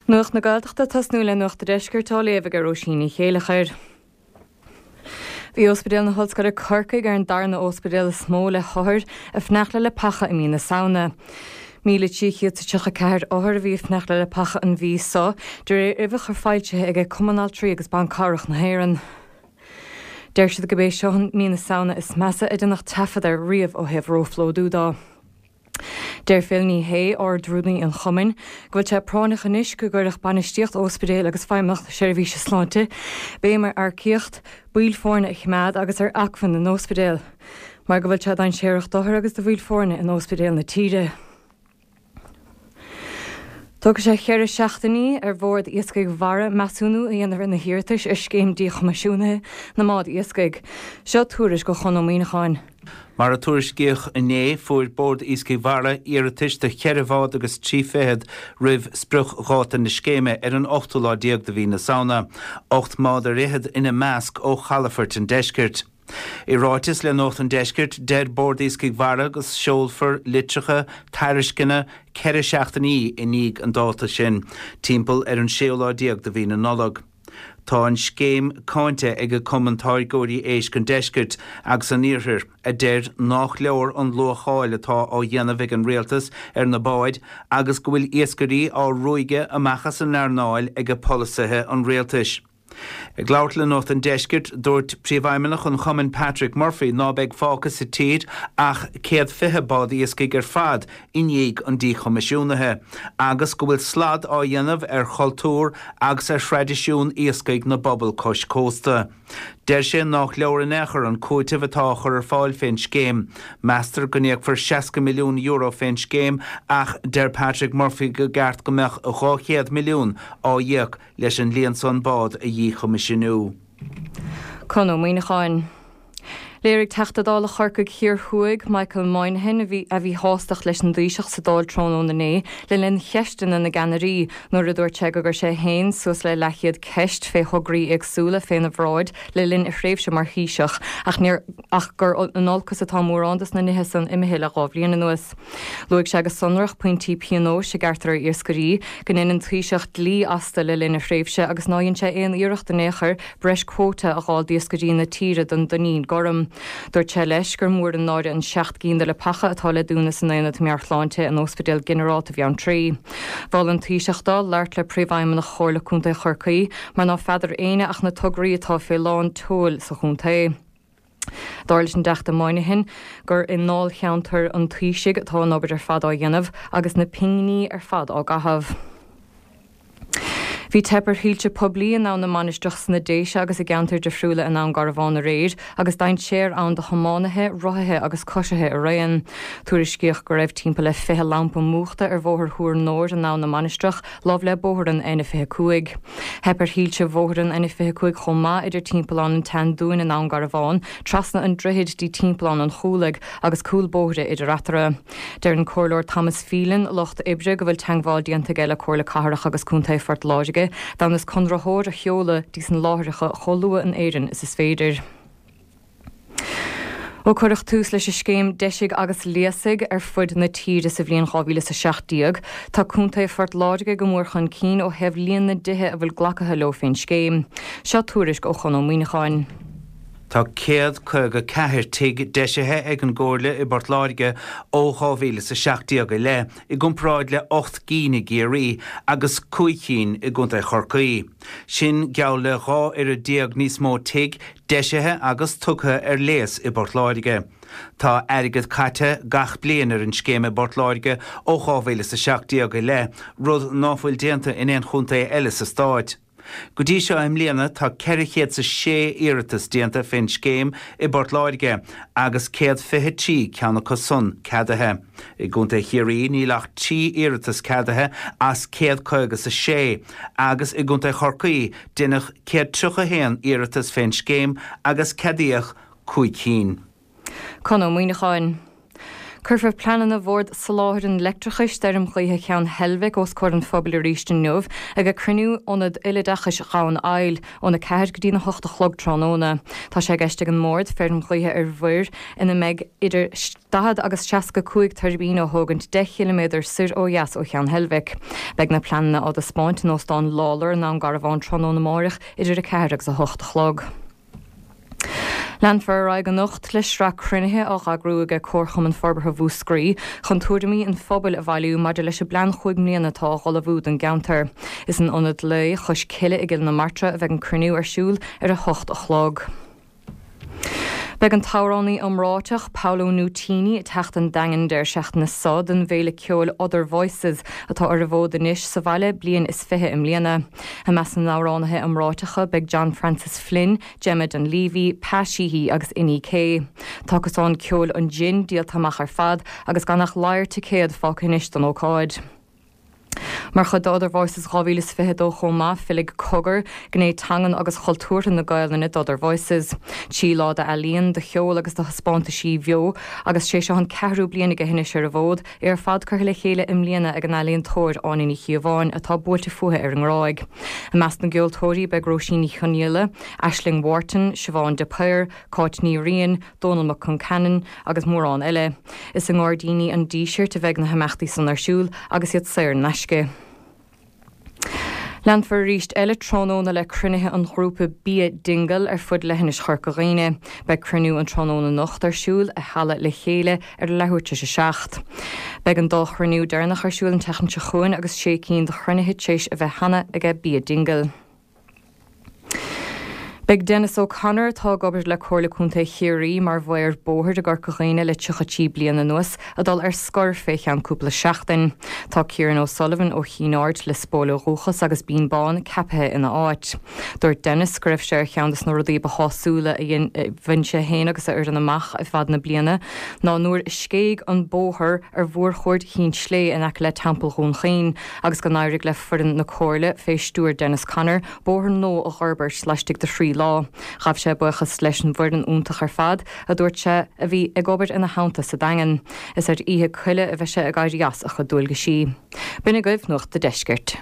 Nuacht na Gaeltachta ag tosnú le Nuacht an Deiscirt á léamh ag Róisín Ní Chéileachair. Bhí Ospidéal na hOllscoile Corcaigh ar an darna óspidéal is mó le hothair ag fanacht le leapacha i mí na Samhna. 1,334 othar a bhí ag fanacht le leapacha an mhí so, de réir uimhreacha foilsithe aige Cumann Altraí agus Ban Cabhrach na hÉireann. Deir siad gurb é seo an mí na Samhna is measa a deineadh taifead air riamh ó thaobh róphlódú dó. Deir Phil Ní Sheaghdha, Ard-Rúnaí an Chumainn, go bhfuil sé práinneach anois go gcuirfeadh bainistíocht óspidéil agus Feidhmeannacht na Seirbhíse Sláinte béim ar earcaíocht, baill foirne a choimeád agus ar acmhainn na n-óspidéal, mar go bhfuil sé dainséarach d'othair agus do bhaill foirne in óspidéil na tíre. Tógfaidh sé cheithre seachtainí ar Bhord Iascaigh Mhara measúnú a dhéanamh ar na hiarratais ar scéim díchoimisiúnaithe na mbád iascaigh. Seo tuairisc ó Chon Ó Muíneacháin. Mar a tuairiscíodh inné, fuair Bord Iascaigh Mhara iarratais do cheithre bhád agus 30 roimh spriocdháta na scéime ar an ochtú lá déag de mhí na Samhna, 18 mbád ar fhichead ina measc ó chalafoirt an deiscirt. I ráiteas le Nuacht an Deiscirt, deir Bord Iascaigh Mhara go seolfar litreacha tairisceana 4 seachtainí i ndiaidh an dáta sin, timpeall ar an séú lá déag de mhí na Nollag. Tá an scéim cáinte ag Cumann Táirgeoirí Éisc an Deiscirt agus an Iarthair, a deir nách leor an luacháil atá á dhéanamh ag an Rialtas ar na báid agus go bhfuil iascairí á ruaigeadh amach as an earnáil ag polasaithe an Rialtais. Ag labhairt le Nuacht an Deiscirt, dúirt Príomhfheidhmeannach an chumainn Patrick Murphy ná beidh fágtha sa tír ach 120 bád iascaigh ar fad i ndiaidh an díchoimisiúnaithe agus go bhfuil slad á dhéanamh ar chultúr agus ar thraidisiún iascaigh na bpobal cois cósta. Deir sé nách leor in aon chor an cúiteamh atá á chur ar fáil fén scéim. Meastar go n-íocfar €60 milliún fén scéim ach deir Patrick Murphy go gceart go mbeadh 200 milliún á íoc leis an líon san bád a dhíchoimisiniú. Con Ó Muíneacháin. Léirigh Teachta Dála Chorcaigh Thiar Thuaidh, Michael Moynihan, a mhíshástacht leis an dTaoiseach sa Dáil tráthnóna inné le linn cheisteanna na gceannairí nuair a dúirt sé gur chuir sé féin suas le leathchéad ceist fé thograí éagsúla féna bhráid le linn a thréimhse mar Thaoiseach ach níor ach gur in olcas atá mórán dos na nithe san imithe le dhá bhliain anuas. Luaigh sé go sonrach pointí pionóis a gearrtar ar iascairí, go ndein an Taoiseach dlí astu le linn a thréimhse agus ná dhein sé aon iarracht in aon chor breis quota a dh'fháil d'iascairí na tíre don dtuinnín gorm. Dúirt sé leis gur mór an náire an 7 gcinn de leapacha atá le dúnadh san Aonad Meabhairshláinte in Óspidéal Ginearálta Bheanntraí. Mhol an Taoiseach dó labhairt le Príomhfheidhmeannach Chomhairle Contae Chorcaí mar ná feadar éinne ach na tograí atá fé lán tseoil sa chontae. Dar leis an dTeachta Moynihan gur i ndáilcheantar an Taoisigh atá an obair ar fad á dhéanamh agus na pingní ar fad á gcaitheamh. Bhí teip ar shoilse poiblí in Abhainn na Mainistreach sna Déise agus i gceantair difriúla i nDún Garbhán aréir agus dainséar ann do thiománaithe, rothaithe agus coisithe araon. Tuairiscíodh go raibh timpeall le 20 lampa múchta ar Bhóthar Thuar Nóir in Abhainn na Mainistreach lámh le bóthar an N25. Theip ar shoilse bhóthar an N25 chomh maith idir Timpeallán an tSeandúin i nDún Garbhán, trasna an droichid dtí Timpeallán an Chúlaigh agus cúl bóithre idir eatarthu. Deir an Comhairleoir Thomas Phelan, Lucht Oibre, go bhfuil teagmháil déanta aige le Comhairle Cathrach agus Contae Phort Láirge d'fhonn is conraitheoir a sheoladh dtí san láithreacha chomh luath in Éirinn is is féidir. Ó cuireadh tús leis an scéim Deisigh agus Léasaigh ar fud na tíre sa bhliain 2017, tá Contae Phort Láirge go mór chun cinn ó thaobh líon na dtithe a bhfuil glacaithe leo fén scéim. Seo tuairisc ó Chon Ó Muíneacháin. Tá 154 tigh deisithe ag an gComhairle i bPort Láirge ó 2017 i leith, i gcomparáid le 8 gcinn i gCiarraí agus 5 chinn i gContae Chorcaí. Sin geall le 12 oiread níos mó tigh deisithe agus tugtha ar léas i bPort Láirge. Tá airgead caite gach bliain ar an scéim i bPort Láirge ó 2017 i leith, rud ná fuil déanta in aon chontae eile sa stáit. Go dtí seo i mbliana tá 406 iarratas déanta fén scéim i bPort Láirge agus 123 ceann acu san ceadaithe. I gContae Chiarraí níl ach 3 iarratas ceadaithe as 156 agus i gContae Chorcaí Deineadh 131 iarratas fén scéim agus ceadaíodh 5 cinn. Con Ó Muíneacháin. Cuirfear pleananna Bhord Soláthair an Leictreachais d'fheirm ghaoithe Cheann Heilbhic os comhair an phobail arís inniu ag cruinniú Ionad Uileoideachais Dhomhan Aill óna 4 go dtí'n 8 a chlog tráthnóna. Tá sé i gceist ag an mBord feirm ghaoithe ar mhuir ina mbeidh idir 40 agus 65 tuirbín a thógaint 10 chiliméadar soir ó dheas ó Cheann Heilbhic. Beidh na pleananna á dtaispeáint in Óstán Lawlor i nDún Garbhán tráthnóna amáireach idir 4 agus 8 a chlog. Leanfar ar aghaidh anocht le sraith cruinnithe á eagrú aige Comharchumann Forbartha Mhúscraí chun tuairimí an phobail a bhailiú maidir leis an bplean chúig mbliana atá á ullmhú don gceantar. Is in Ionad Lae Chois Cille i gCill na Martra a bheidh an cruinniú ar siúl ar 8 a chlog. Beidh an t-amhránaí iomráiteach Paolo Nutini ag teacht 'on Daingean an deireadh seachtaine so don bhféile ceoil Other Voices atá ar an bhfód anois sa bhaile bliain is 20 i mbliana. I measc na n-amhránaithe iomráiteacha beidh John Francis Flynn, Gemma Dunleavy, Pa Sheehy agus Inni K. Tá cosán ceoil an Gin díolta amach ar fad agus gan ach ladhar ticéad fágtha anois don ócáid. Mar chuid de Other Voices 2022 chomh maith, fillfidh Cogar, gné teangan agus chultúrtha na Gaelainne d'Other Voices. Trí lá d'ealaíon, de cheol agus de thaispeántaisí bheo agus sé seo an ceathrú bliain aige anois ar an bhfód, É ar fad curtha le chéile i mbliana ag an ealaíontóir Áine Ní Chíobháin, atá buailte fúithi ar an nGráig. I measc na gceoltóirí beidh Róisín Ní Chonghaile, Aisling Wharton, Siobhán de Paor, Cáit Ní Riain, Dónal Mac Conceanainn agus mórán eile. Is i nGairdíní an Dísirt a bheidh na himeachtaí san ar siúl agus iad saor in aisce. Leanfar arís eile tráthnóna le cruinnithe an ghrúpa Bia Dingle ar fud leithinis Chorca Dhuibhne. Beidh cruinniú an tráthnóna anocht ar siúl i Halla Le Chéile ar a leathuair tar éis a 7. Beidh an dá chruinniú deireanach ar siúl an tseachtain seo chugainn agus sé cinn de chruinnithe tar éis a bheith cheana aige Bia Dingle. Beidh Denis O'Connor, atá ag obair le Comhairle Contae Chiarraí mar mhaor bóthair i gCorca Dhuibhne le 33 bliain anuas, ag dul ar scor fé cheann cúpla seachtain. Tá Kieran O'Sullivan ó Chinn Aird, Lios Póil ó dhúchas agus Binn Bán, ceapaithe ina áit. Dúirt Denis go raibh sé ar cheann des na rudaí ba shásúla a bhain sé féin agus a fhoireann amach i bhfad na bliana ná nuair a scéigh an bóthar ar mhórchuaird Chinn tSlé in aice le Teampall Dhún Chaoin agus go n-éirigh le foireann na Comhairle fé stiúir Denis Connor bóthar nua a dh'fhorbairt laistigh de thrí lá. Ghabh sé buíochas leis an bhfoireann iontach ar fad, a dúirt sé, a bhí ag obair ina theannta sa Daingean. Is ar Oíche Coille a bheidh sé ag éirí as a chuid dualgaisí. B'in agaibh Nuacht a' Deiscirt.